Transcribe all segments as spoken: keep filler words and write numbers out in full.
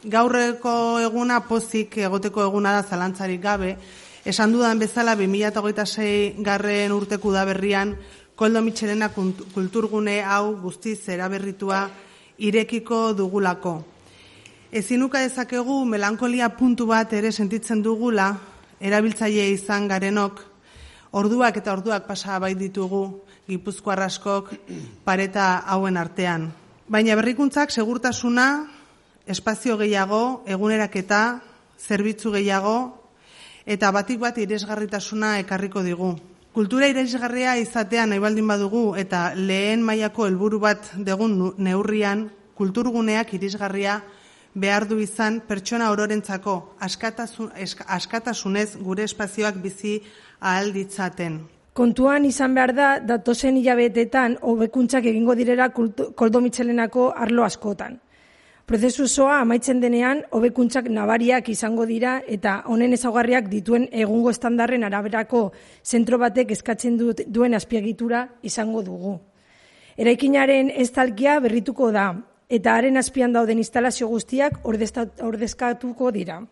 Gaurreko eguna pozik egoteko eguna da zalantzarik gabe. Esan dudan bezala bi mila hogeita sei garren urteku da berrian Koldo Mitxelena kulturgune hau guztiz eraberritua irekiko dugulako. Ezinuka dezakegu melankolia puntu bat ere sentitzen dugula, erabiltzaile izan garenok, orduak eta orduak pasa bai ditugu Gipuzkoar askok pareta hauen artean. Baina berrikuntzak segurtasuna, espazio gehiago, eguneraketa, zerbitzu gehiago, eta batik bat irisgarritasuna ekarriko digu. Kultura irisgarria izatea nahi baldin badugu eta lehen mailako helburu bat degun neurrian, kulturguneak irisgarria behar du izan pertsona ororentzako askatasun, askatasunez gure espazioak bizi ahal ditzaten. Kontuan izan behar da, datozen hilabetetan hobekuntzak egingo direla Koldo Mitxelenako arlo askotan. Prozesu osoa amaitzen denean, hobekuntzak nabariak izango dira eta honen ezaugarriak dituen egungo estandarren araberako zentro batek eskatzen duen azpiegitura izango dugu. Eraikinaren estalkia berrituko da eta haren azpian dauden instalazio guztiak ordezkatuko dira.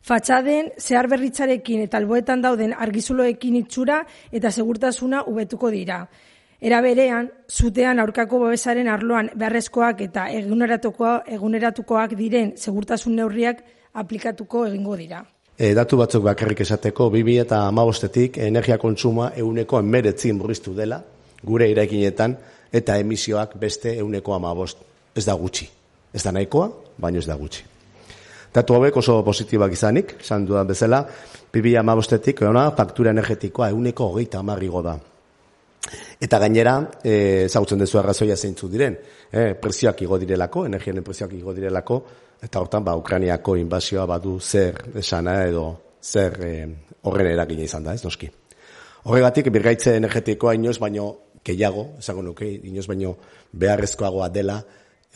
Fatxaden zehar berritzarekin eta alboetan dauden argizuloekin itxura eta segurtasuna hobetuko dira. Era berean, zutean aurkako babesaren arloan beharrezkoak eta eguneratukoak diren segurtasun neurriak aplikatuko egingo dira. E, datu batzuk bakarrik esateko, bi mila hamabostetik energia kontsumoa ehuneko hemeretzi murriztu dela, gure eraikinetan, eta emisioak beste ehuneko hamabost. Ez da gutxi. Ez da nahikoa, baina ez da gutxi. Datu hauek oso positibak izanik, esan dudan bezala, bi mila hamabostetik faktura energetikoa ehuneko hogeita hamar igo da. Eta gainera, ezagutzen dezu arrazoia zeintzu diren, eh, prezioak igo direlako, energiaren prezioak igo direlako, eta hortan ba, Ukrainiako inbasioa badu zer esana edo zer eh, horren eragina izan da, ez noski. Horregatik, birgaitze energetikoa inoz baino gehiago, esango nuke, inoz baino beharrezkoagoa dela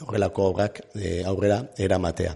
horrelako obrak eh, aurrera eramatea.